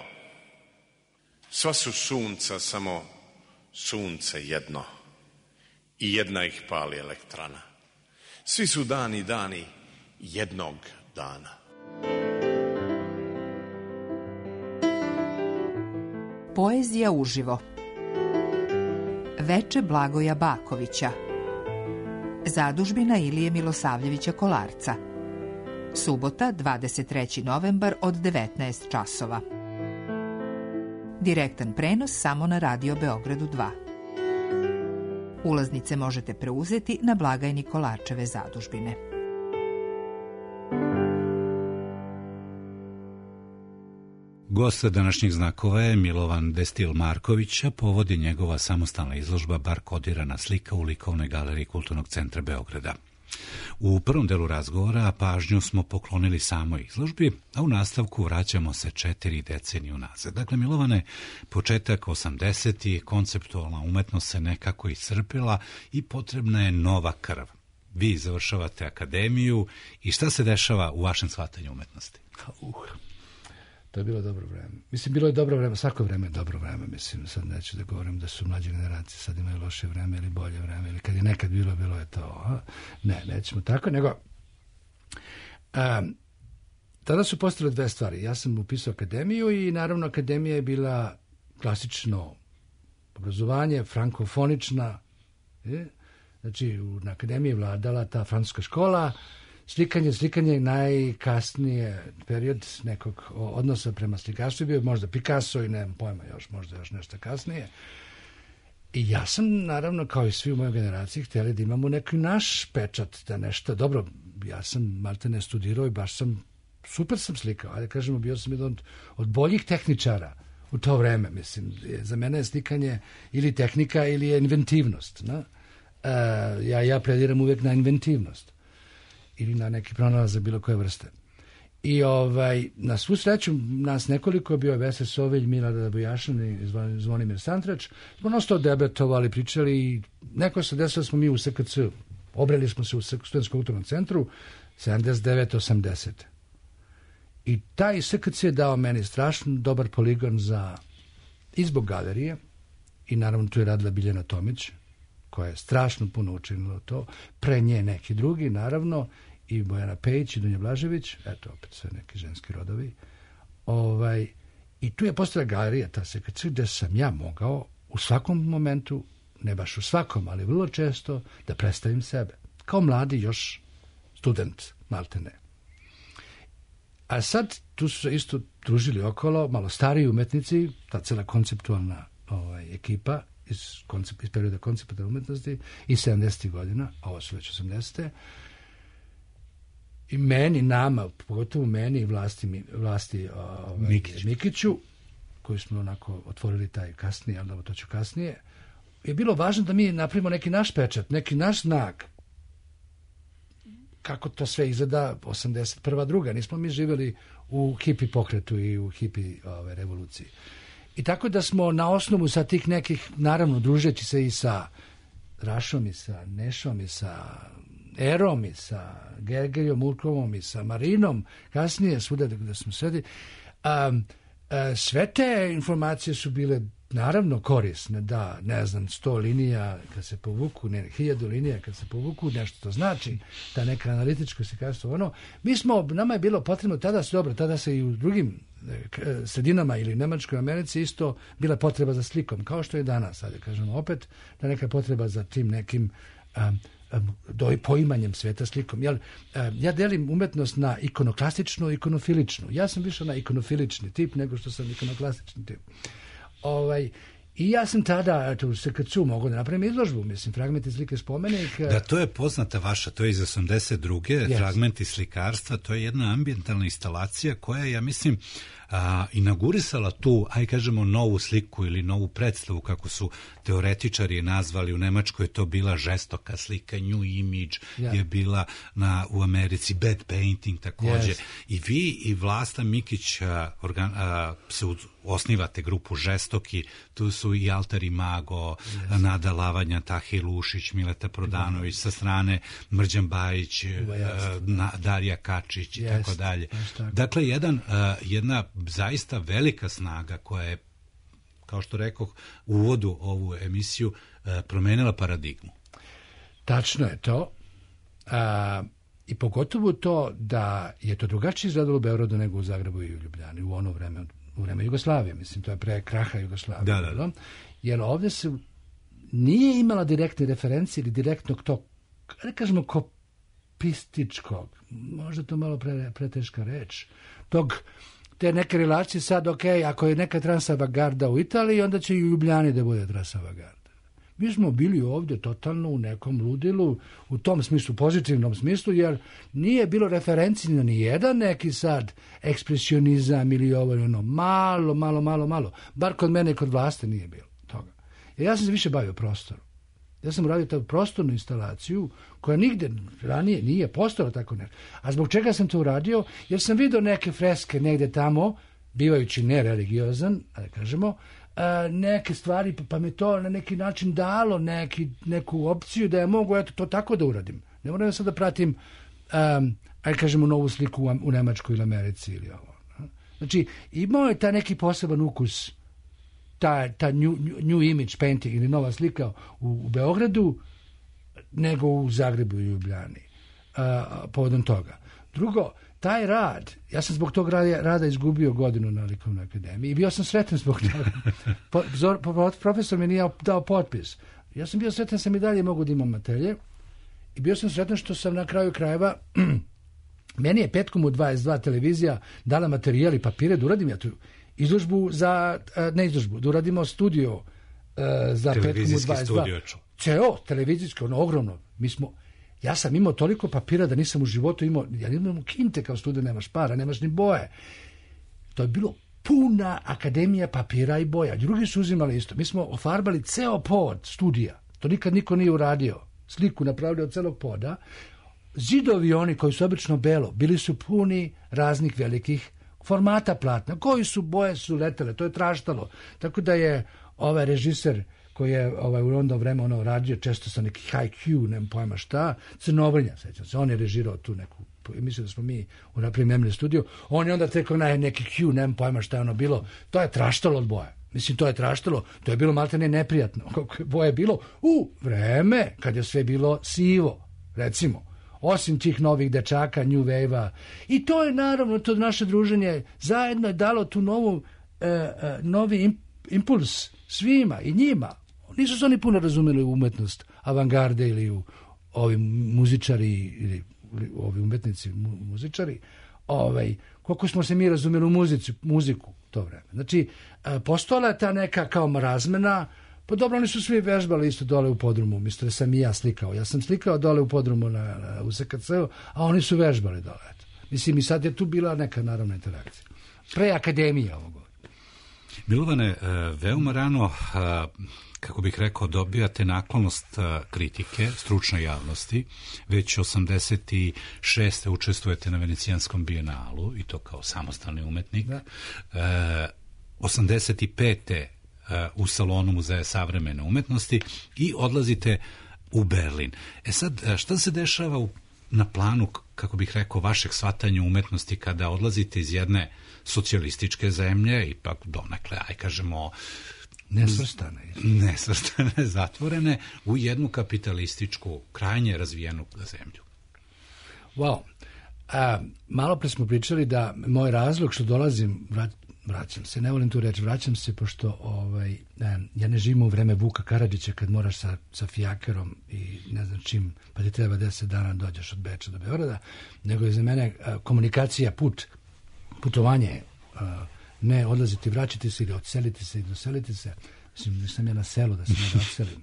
sva su sunca samo sunce jedno i jedna ih pali elektrana. Svi su dani dani jednog dana. Poezija uživo. Veče Blagoja Bakovića. Zadužbina Ilije Milosavljevića Kolarca. Subota, dvadeset treći novembar od devetnaest časova. Direktan prenos samo na Radio Beogradu dva. Ulaznice možete preuzeti na blagajni Kolarčeve zadužbine. Gost današnjih znakova je Milovan Destil Marković, a povodi njegova samostalna izložba Bar kodirana slika u likovnoj galeriji Kulturnog centra Beograda. U prvom delu razgovora pažnju smo poklonili samoj izložbi, a u nastavku vraćamo se četiri decenije unazad. Dakle, Milovane, početak osamdesetih, konceptualna umetnost se nekako iscrpila i potrebna je nova krv. Vi završavate akademiju i šta se dešava u vašem shvatanju umetnosti? Uh, to je bilo dobro vreme. Mislim, bilo je dobro vreme, svako vreme je dobro vreme. Mislim, sad neću da govorim da su mlađe generacije sad imaju loše vreme ili bolje vreme, ili kad je nekad bilo, bilo je to. A? Ne, nećemo tako, nego um, tada su postale dve stvari. Ja sam upisao akademiju i naravno akademija je bila klasično obrazovanje, frankofonična. Je? Znači, na akademiji je vladala ta francuska škola. Slikanje, slikanje najkasnije period nekog odnosa prema slikarstvu bio možda Picasso i nemam pojma još, možda još nešto kasnije. I ja sam, naravno, kao i svi u mojoj generaciji, htjeli da imamo neki naš pečat, da nešto, dobro, ja sam malte ne studirao i baš sam, super sam slikao, ajde kažemo, bio sam jedan od, od boljih tehničara u to vreme, mislim, za mene je slikanje ili tehnika ili je inventivnost, ne? Uh, ja, ja plediram uvijek na inventivnost ili na neki pronalazak bilo koje vrste. I ovaj, na svu sreću nas nekoliko je bio Vese Sovilj, Milada Bojašan i Zvonimir Santrač. Smo nosto debatovali, pričali i neko se desilo smo mi u S K C. Obreli smo se u Studentskom kulturnom centru sedamdeset devete osamdesete. I taj S K C je dao meni strašno dobar poligon za izbog galerije i naravno tu je radila Biljana Tomić, koja je strašno puno učinila to, pre nje neki drugi, naravno, i Bojana Pejić i Dunja Blažević, eto, opet sve neki ženski rodovi. Ovaj, i tu je postala galerija, ta S K C, gde sam ja mogao u svakom momentu, ne baš u svakom, ali vrlo često, da predstavim sebe. Kao mladi još student, maltene. A sad tu su se isto družili okolo, malo stariji umetnici, ta cela konceptualna ovaj, ekipa iz, koncept, iz perioda konceptualne umetnosti i sedamdesetih godina, ovo su već osamdesete. I meni, nama, pogotovo meni i vlasti, vlasti ovaj, Mikiću. Mikiću, koji smo onako otvorili taj kasnije, ali to ću kasnije, je bilo važno da mi napravimo neki naš pečat, neki naš znak. Kako to sve izgleda osamdeset prva druga. Nismo mi živjeli u hipi pokretu i u hipi ove, revoluciji. I tako da smo na osnovu sa tih nekih, naravno, družeći se i sa Rašom i sa Nešom i sa Erom i sa Gergerijom Urkovom i sa Marinom, kasnije svuda da smo sedi, um, uh, sve te informacije su bile naravno korisne, da, ne znam, sto linija kad se povuku, ne, hiljadu linija kad se povuku, nešto to znači, ta neka analitičko slikarstvo, ono, mi smo, nama je bilo potrebno, tada se dobro, tada se i u drugim sredinama ili Nemačkoj Americi isto bila potreba za slikom, kao što je danas, sad kažemo opet, da neka potreba za tim nekim um, do poimanjem sveta slikom. Ja, ja delim umetnost na ikonoklastičnu i ikonofiličnu. Ja sam više na ikonofilični tip nego što sam ikonoklastični tip. Ovaj, I ja sam tada, eto, u S K C-u mogu da napravim izložbu, mislim, fragmenti slike spomenik. Da, to je poznata vaša, to je iz osamdeset druge Yes. Fragmenti slikarstva, to je jedna ambijentalna instalacija koja, ja mislim, a, inaugurisala tu, aj kažemo, novu sliku ili novu predstavu, kako su teoretičari nazvali, u Nemačkoj je to bila žestoka slika, new image, yeah. je bila na, u Americi bad painting takođe. Yes. I vi i Vlasta Mikić a, organ, a, se osnivate grupu Žestoki, tu su i Altar i Mago, yes. Nada Lavanja, Tahe Lušić, Mileta Prodanović, sa strane Mrđan Bajić, yes. na, Darija Kačić i yes. tako dalje. Dakle, jedan, jedna zaista velika snaga koja je, kao što rekoh u uvodu ovu emisiju, promenila paradigmu. Tačno je to. A, i pogotovo to da je to drugačije izgledalo u Beogradu nego u Zagrebu i u Ljubljani u ono vreme, u vreme Jugoslavije, mislim, to je pre kraha Jugoslavije. Da, da, da. Jer ovdje se nije imala direktne referencije ili direktnog tog, ne kažemo kopističkog, možda to malo pre, preteška reč, tog, te neke relacije sad, ok, ako je neka transavangarda u Italiji, onda će i u Ljubljani da bude transavangarda. Mi smo bili ovdje totalno u nekom ludilu, u tom smislu, pozitivnom smislu, jer nije bilo referenci na ni jedan neki sad ekspresionizam ili ovo ili ono, malo, malo, malo, malo. Bar kod mene i kod Vlaste nije bilo toga. Jer ja sam se više bavio prostorom. Ja sam uradio tu prostornu instalaciju koja nigde ranije nije postojala tako nešto. A zbog čega sam to uradio? Jer sam vidio neke freske negde tamo, bivajući nereligiozan, da kažemo, neke stvari, pa mi to na neki način dalo neki, neku opciju da ja mogu eto, to tako da uradim. Ne moram sad da pratim, um, aj kažemo, novu sliku u, u Nemačkoj ili Americi ili ovo. Znači, imao je taj neki poseban ukus, ta, ta new, new image painting ili nova slika u, u Beogradu nego u Zagrebu i Ljubljani. Uh, povodom toga. Drugo, taj rad, ja sam zbog tog rada, rada izgubio godinu na Likovnoj akademiji i bio sam sretan zbog toga. Po, zor, po, profesor mi nije dao potpis. Ja sam bio sretan, sam i dalje mogu da imam atelje i bio sam sretan što sam na kraju krajeva meni je petkom u dvadeset dva televizija dala materijal i papire da uradim ja tu izložbu za, ne izložbu, da uradimo studio za petkom u dvadeset dva. Ceo televizijski, ono ogromno. Mi smo Ja sam imao toliko papira da nisam u životu imao, ja imam kinte kao student, nemaš para, nemaš ni boje. To je bilo puna akademija papira i boja. Drugi su uzimali isto. Mi smo ofarbali ceo pod studija. To nikad niko nije uradio. Sliku napravili od celog poda. Zidovi oni koji su obično belo, bili su puni raznih velikih formata platna. Koji su boje su letele, to je traštalo. Tako da je ovaj režiser koji je ovaj, u onda vreme ono radio često sa neki high Q, nemam pojma šta, Crnovrnja, sećam se, on je režirao tu neku, mislim da smo mi u napremljeni studio, on je onda tekao na neki Q, nemam pojma šta je ono bilo, to je traštalo od boje, mislim to je traštalo, to je bilo maltene neprijatno, kako je boje bilo u vreme kad je sve bilo sivo, recimo, osim tih novih dečaka, New Wave-a, i to je naravno, to naše druženje zajedno je dalo tu novu, e, e, novi impuls svima i njima. Nisu se oni puno razumeli u umetnost avangarde ili u ovi muzičari ili ovi umetnici, mu, muzičari, ovaj, koliko smo se mi razumjeli u muzici, muziku to vreme. Znači, postojala je ta neka kao razmena, pa dobro, oni su svi vežbali isto dole u podrumu, misto da sam i ja slikao. Ja sam slikao dole u podrumu na, na, u S K C-u, a oni su vežbali dole. Eto. Mislim, i sad je tu bila neka naravna interakcija. Pre akademije ovo govorim. Milovane, veoma rano, kako bih rekao, dobijate naklonost kritike stručnoj javnosti. Već osamdeset šeste učestvujete na Venecijanskom bijenalu i to kao samostalni umetnik. Da. osamdeset pete u salonu Muzeja savremene umetnosti i odlazite u Berlin. E sad, šta se dešava u, na planu, kako bih rekao, vašeg shvatanja umetnosti kada odlazite iz jedne socijalističke zemlje, ipak donekle, aj kažemo, nesvrstane, nesvrstane, zatvorene, u jednu kapitalističku, krajnje razvijenu zemlju? Wow. A, malo pre smo pričali da moj razlog što dolazim, vrat, vraćam se, ne volim tu reći, vraćam se pošto ovaj, ne, ja ne živim u vreme Vuka Karadžića kad moraš sa, sa fijakerom i ne znam čim, pa ti treba deset dana dođeš od Beča do Beograda, nego je za mene a, komunikacija, put, putovanje, a, ne odlaziti, vraćati se ili odseliti se i doseliti se. Mislim, nisam ja na selu da se ne da odselim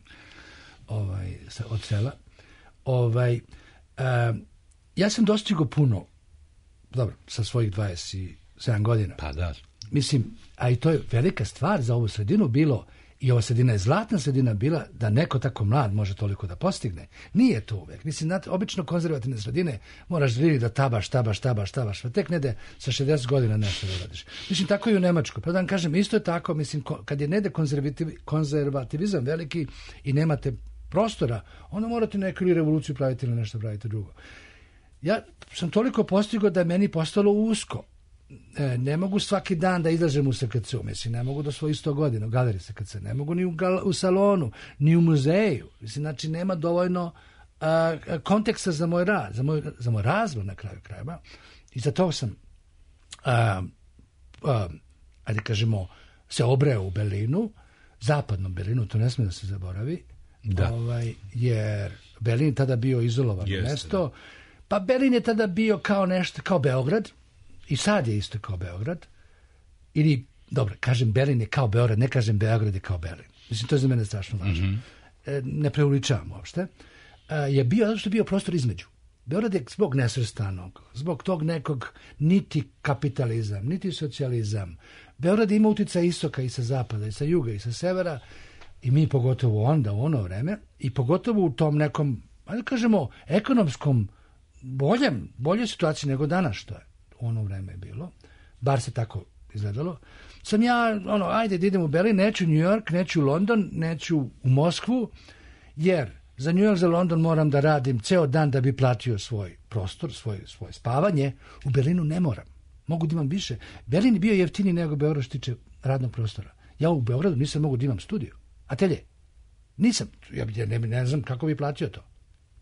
ovaj, sa, od sela. Ovaj, a, ja sam dostigao puno, dobro, sa svojih dvadeset sedam godina. Pa da. Mislim, a i to je velika stvar za ovu sredinu bilo, i ova sredina je zlatna sredina bila, da neko tako mlad može toliko da postigne. Nije to uvek. Mislim, znate, obično konzervativne sredine moraš živjeti da tabaš, tabaš, tabaš, tabaš, pa tek nede sa šezdeset godina nešto da radiš. Mislim, tako i u Nemačkoj. Pa da vam kažem, isto je tako, mislim, kad je nede konzervativ, konzervativizam veliki i nemate prostora, onda morate neku ili revoluciju praviti ili nešto praviti drugo. Ja sam toliko postigao da je meni postalo usko. E, ne mogu svaki dan da izlažem u S K C-u, mislim, ne mogu do svojih sto godina u galeriji S K C, ne mogu ni u, gal, u salonu, ni u muzeju. Mislim, znači, nema dovoljno a, konteksta za moj rad, za moj, za moj razvoj na kraju krajeva. I za to sam, a, a, ajde kažemo, se obreo u Berlinu, zapadnom Berlinu, to ne smije da se zaboravi, da. Ovaj, jer Berlin je tada bio izolovano Jeste, mesto. Da. Pa Berlin je tada bio kao nešto, kao Beograd, i sad je isto kao Beograd. Ili, dobro, kažem Berlin je kao Beograd, ne kažem Beograd je kao Berlin. Mislim, to je za mene strašno važno. Mm-hmm. E, ne preuličavam uopšte. E, je bio, zato što je bio prostor između. Beograd je zbog nesvrstanog, zbog tog nekog niti kapitalizam, niti socijalizam. Beograd ima uticaj istoka i sa zapada, i sa juga, i sa severa, i mi pogotovo onda, u ono vreme, i pogotovo u tom nekom, ajde kažemo, ekonomskom boljem, bolje situaciji nego danas što je. U ono vreme je bilo, bar se tako izgledalo. Sam ja, ono, ajde da idem u Berlin, neću u New York, neću u London, neću u Moskvu, jer za New York, za London moram da radim ceo dan da bi platio svoj prostor, svoj, svoje spavanje. U Berlinu ne moram. Mogu da imam više. Berlin je bio jeftiniji nego Beograd što tiče radnog prostora. Ja u Beogradu nisam mogu da imam studiju. Atelje. Nisam. Ja ne, ne znam kako bi platio to.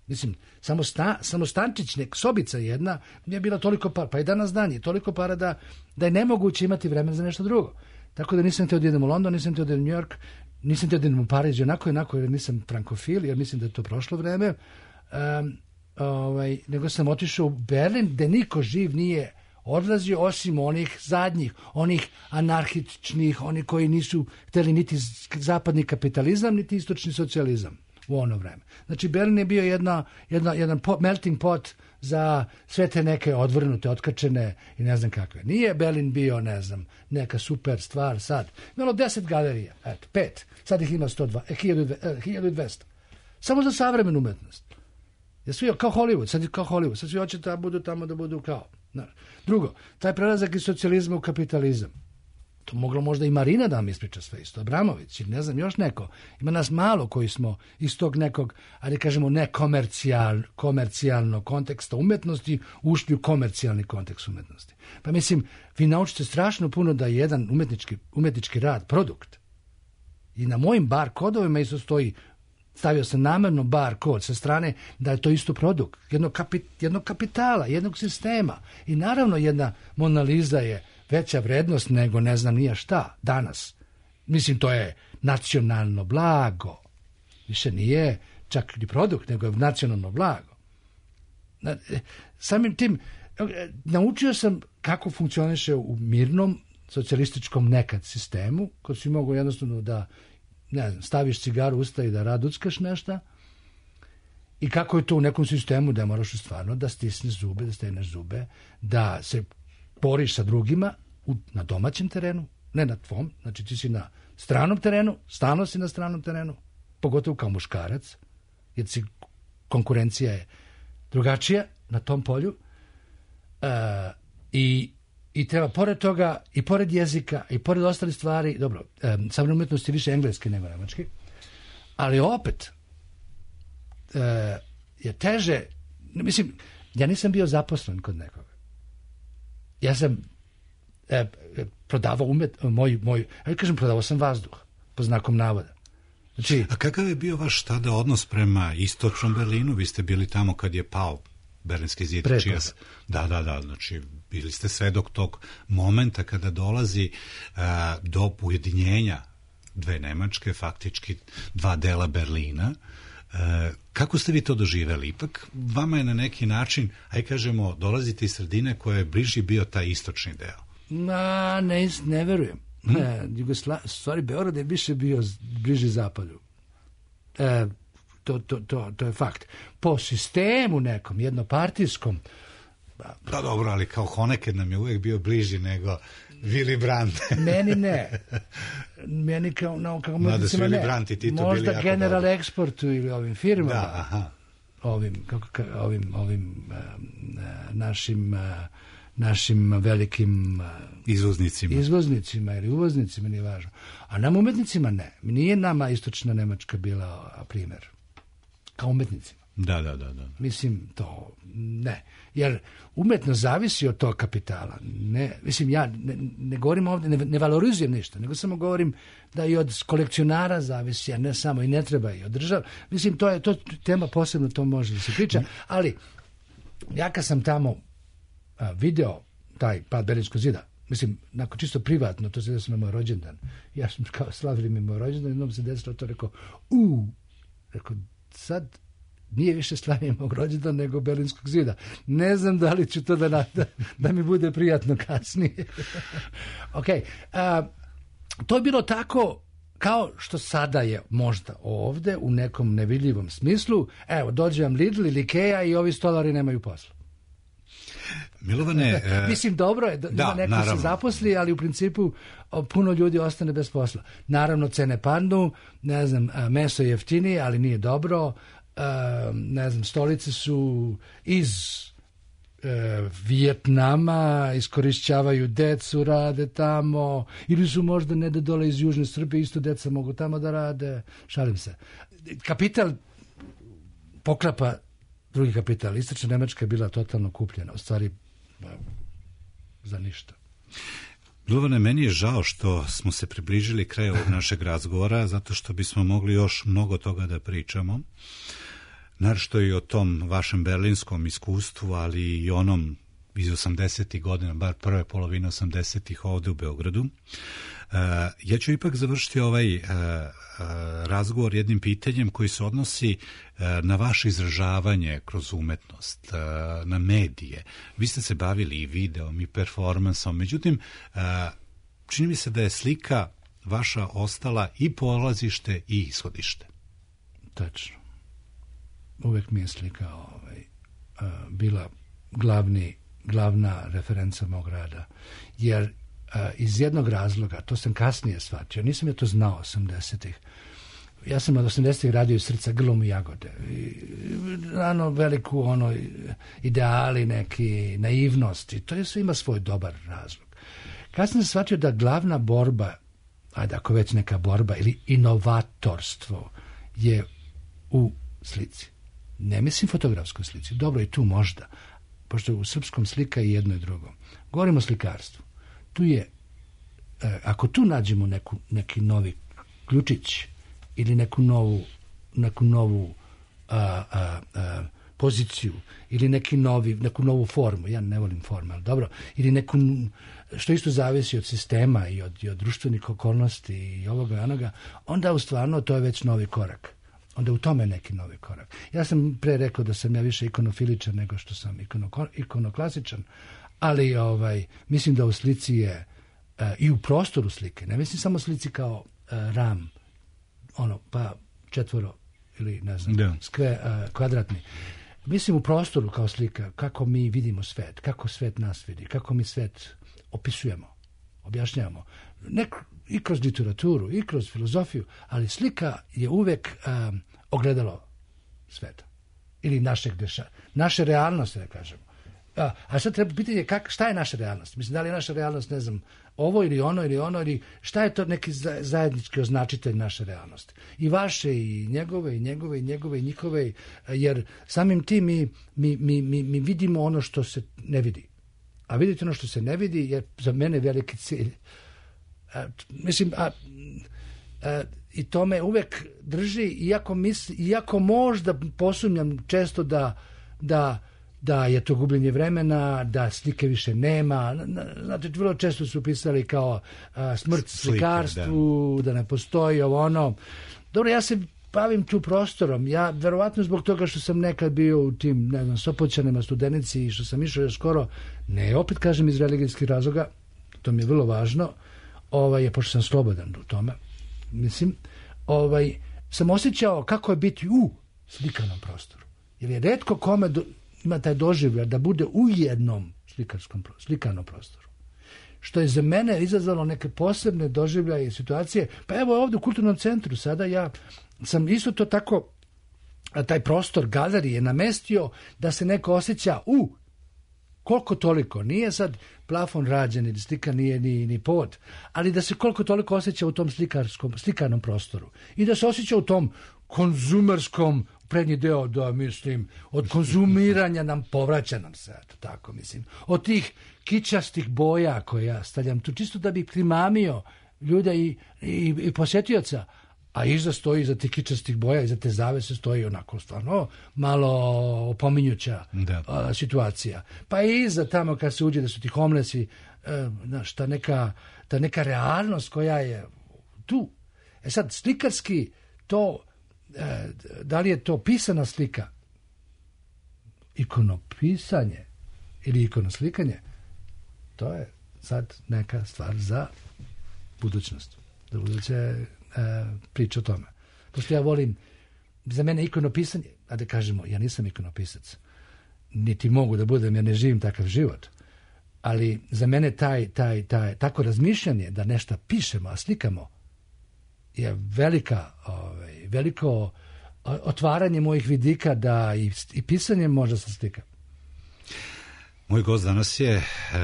Mislim, samo, sta, samo stančić, nek, sobica jedna, je bila toliko para, pa i danas dan je toliko para da, da je nemoguće imati vremena za nešto drugo. Tako da nisam teo da idem u London, nisam teo da idem u New York, nisam teo da idem u Pariz, onako i onako, jer nisam frankofil, jer mislim da je to prošlo vreme, um, ovaj, nego sam otišao u Berlin, gde niko živ nije odlazio, osim onih zadnjih, onih anarhičnih, oni koji nisu hteli niti zapadni kapitalizam, niti istočni socijalizam. U ono vreme. Znači, Berlin je bio jedna, jedna, jedan pot, melting pot za sve te neke odvrnute, otkačene i ne znam kakve. Nije Berlin bio, ne znam, neka super stvar sad. Imalo deset galerija, eto, pet. Sad ih ima sto dva, eh, hiljadu dvesta. Samo za savremenu umetnost. Je svi kao Hollywood, sad je kao Hollywood. Sad svi hoće da budu tamo da budu kao. Drugo, taj prelazak iz socijalizma u kapitalizam. To moglo možda i Marina da vam ispriča sve isto, Abramović ili ne znam još neko. Ima nas malo koji smo iz tog nekog, ali kažemo ne komercijal, komercijalnog konteksta umetnosti ušli u komercijalni kontekst umetnosti. Pa mislim, vi naučite strašno puno da je jedan umetnički, umetnički rad produkt. I na mojim bar kodovima isto stoji, stavio sam namerno bar kod sa strane da je to isto produkt jednog, kapit, jednog kapitala, jednog sistema. I naravno jedna Mona Lisa je veća vrednost nego ne znam nije šta danas. Mislim, to je nacionalno blago. Više nije čak ni produkt, nego je nacionalno blago. Samim tim, naučio sam kako funkcioniše u mirnom socijalističkom nekad sistemu, kad si mogu jednostavno da, ne znam, staviš cigaru u usta i da raduckaš nešto, i kako je to u nekom sistemu da moraš stvarno da stisneš zube, da stegneš zube, da se boriš sa drugima u, na domaćem terenu, ne na tvom, znači ti si na stranom terenu, stalno si na stranom terenu, pogotovo kao muškarac, jer si, konkurencija je drugačija na tom polju, uh, i, i treba pored toga, i pored jezika, i pored ostalih stvari, dobro, um, savremena umetnost je više engleski nego nemački, ali opet uh, je teže, mislim, ja nisam bio zaposlen kod nekoga. Ja sam e, prodavao umet, moj, moj, ja kažem, prodavao sam vazduh, po znakom navoda. Znači, a kakav je bio vaš tada odnos prema istočnom Berlinu? Vi ste bili tamo kad je pao Berlinski zid. Čija, da, da, da, znači bili ste svedok tog momenta kada dolazi a, do ujedinjenja dve Nemačke, faktički dva dela Berlina. E, kako ste vi to doživeli? Ipak vama je na neki način, aj kažemo, dolazite iz sredine koja je bliži bio taj istočni deo. Na, ne, ne verujem. Hmm? Ne, Jugosla... stvari, Beograd je više bio bliži zapadu. E, to, to, to, to je fakt. Po sistemu nekom, jednopartijskom. Da, pa dobro, ali kao Honeked nam je uvijek bio bliži nego Willy Brandt. Meni ne. Meni kao, no, kao no, da su Willy Brandt i Tito možda bili jako General dobro. Exportu ili ovim firmama. Da, aha. Ovim, kako, ka, ovim, ovim uh, našim, uh, našim velikim uh, izvoznicima. izvoznicima ili uvoznicima, nije važno. A nam umetnicima ne. Nije nama istočna Nemačka bila primjer. Kao umetnicima. Da, da, da, da. Mislim, to ne. Jer umetnost zavisi od tog kapitala. Ne, mislim, ja ne, ne govorim ovdje, ne, ne valorizujem ništa, nego samo govorim da i od kolekcionara zavisi, a ne samo i ne treba i od država. Mislim, to je to tema posebno, to može da se priča, ali ja kad sam tamo a, video taj pad Berlinskog zida, mislim, nakon čisto privatno, to se desilo na moj rođendan. Ja sam kao slavili mi moj rođendan, jednom se desilo to, rekao, u, rekao, sad nije više slavljenje mog rođendana nego Berlinskog zida. Ne znam da li ću to da, da, da mi bude prijatno kasnije. Ok. A, to je bilo tako kao što sada je možda ovde u nekom nevidljivom smislu. Evo, dođe vam Lidl ili Ikea i ovi stolari nemaju posla. Milovane... E... Mislim, dobro je da, da neko naravno. se zaposli, ali u principu puno ljudi ostane bez posla. Naravno, cene padnu, ne znam, meso je jeftinije, ali nije dobro. Uh, ne znam, stolice su iz uh, Vijetnama, iskorišćavaju decu, rade tamo, ili su možda ne da dole iz Južne Srbije, isto deca mogu tamo da rade, šalim se. Kapital poklapa drugi kapital. Istočna Nemačka je bila totalno kupljena, u stvari za ništa. Milovane, meni je žao što smo se približili kraju ovog našeg razgovora, zato što bismo mogli još mnogo toga da pričamo. Naravno i o tom vašem berlinskom iskustvu, ali i onom iz osamdesetih godina, bar prve polovine osamdesetih ovde u Beogradu. Uh, ja ću ipak završiti ovaj uh, uh, razgovor jednim pitanjem koji se odnosi uh, na vaše izražavanje kroz umetnost, uh, na medije. Vi ste se bavili i videom i performansom, međutim, uh, čini mi se da je slika vaša ostala i polazište i ishodište. Tačno. Uvek mi je slika ovaj, uh, bila glavni, glavna referenca mog rada, jer Uh, iz jednog razloga, to sam kasnije shvatio, nisam ja to znao osamdesetih. Ja sam od osamdesetih radio iz srca grlom i jagode. I, rano veliku ono, ideali neki, naivnost, i to je sve ima svoj dobar razlog. Kasnije sam shvatio da glavna borba, ajde ako već neka borba, ili inovatorstvo je u slici. Ne mislim fotografskoj slici, dobro i tu možda, pošto u srpskom slika i jedno i drugo. Govorimo o slikarstvu. Tu je, ako tu nađemo neku, neki novi ključić ili neku novu, neku novu a, a, a, poziciju ili neki novi, neku novu formu, ja ne volim formu, ali dobro, ili neku, što isto zavisi od sistema i od, i od društvenih okolnosti i ovoga i onoga, onda u stvarno to je već novi korak. onda u tome neki novi korak. Ja sam pre rekao da sam ja više ikonofiličan nego što sam ikono, ikonoklasičan, ali ovaj, mislim da u slici je uh, i u prostoru slike, ne mislim samo slici kao uh, ram, ono, pa četvoro ili ne znam, da. skve, uh, kvadratni. Mislim u prostoru kao slika, kako mi vidimo svet, kako svet nas vidi, kako mi svet opisujemo, objašnjavamo. Nek, i kroz literaturu, i kroz filozofiju, ali slika je uvek um, ogledalo sveta. Ili našeg deša, naše realnosti, da kažemo. A, a sad treba pitanje kak, šta je naša realnost? Mislim, da li je naša realnost, ne znam, ovo ili ono ili ono, ili šta je to neki zajednički označitelj naše realnosti? I vaše, i njegove, i njegove, i njegove, i njihove, jer samim tim mi, mi, mi, mi, mi vidimo ono što se ne vidi. A vidite ono što se ne vidi je za mene veliki cilj. A, mislim, a, a, i to me uvek drži, iako, misli, iako možda posumnjam često da, da, da je to gubljenje vremena, da slike više nema. Znate, vrlo često su pisali kao a, smrt slikarstvu, da. da ne postoji ovo ono. Dobro, ja se bavim tu prostorom. Ja, verovatno zbog toga što sam nekad bio u tim, ne znam, Sopoćanima, Studenici i što sam išao još skoro, ne, opet kažem iz religijskih razloga, to mi je vrlo važno, ovaj, je, pošto sam slobodan u tome, mislim, ovaj, sam osjećao kako je biti u slikanom prostoru. Jer je retko kome do, ima taj doživljaj da bude u jednom slikarskom, slikanom prostoru. Što je za mene izazvalo neke posebne doživljaje i situacije. Pa evo ovdje u Kulturnom centru sada ja sam isto to tako, taj prostor galerije namestio da se neko osjeća u koliko toliko, nije sad plafon rađen ili slika nije ni, ni pod, ali da se koliko toliko osjeća u tom slikarskom, slikarnom prostoru i da se osjeća u tom konzumerskom prednji deo, da mislim, od konzumiranja nam povraća nam se, tako mislim, od tih kičastih boja koje ja stavljam tu, čisto da bi primamio ljude i, i, i posjetioca, a iza stoji, iza tih kičastih boja, iza te zavese stoji onako stvarno malo opominjuća a, situacija. Pa i iza tamo kad se uđe da su ti homelessi, e, znaš, ta neka, ta neka realnost koja je tu. E sad, slikarski to, e, da li je to pisana slika, ikonopisanje ili ikonoslikanje, to je sad neka stvar za budućnost. Za buduće E, priča o tome. Pošto ja volim, za mene ikonopisanje, a da kažemo, ja nisam ikonopisac, niti mogu da budem, ja ne živim takav život, ali za mene taj, taj, taj, tako razmišljanje da nešto pišemo, a slikamo, je velika, ovaj, veliko otvaranje mojih vidika da i, i pisanje može se slika. Moj gost danas je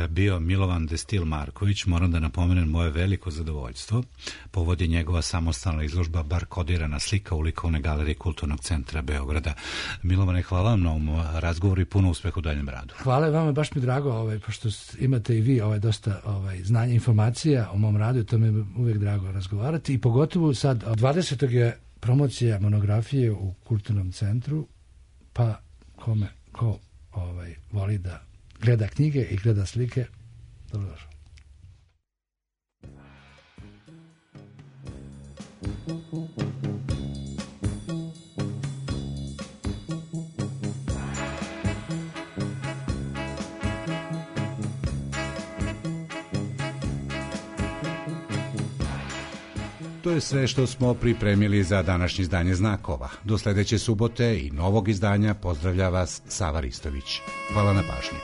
bio Milovan Destil Marković. Moram da napomenem moje veliko zadovoljstvo. Povodi njegova samostalna izložba Bar kodirana slika u likovnoj galeriji Kulturnog centra Beograda. Milovane, hvala vam na ovom razgovoru i puno uspeha u daljem radu. Hvala vama, baš mi drago, ovaj, pošto imate i vi ovaj, dosta ovaj, znanja, informacija o mom radu, to mi je uvijek drago razgovarati i pogotovo sad, dvadesetog je promocija monografije u Kulturnom centru, pa kome, ko ovaj, voli da gleda knjige i gleda slike, dobrodošao. To je sve što smo pripremili za današnje izdanje Znakova. Do sljedeće subote i novog izdanja pozdravlja vas Sava Ristović. Hvala na pažnji.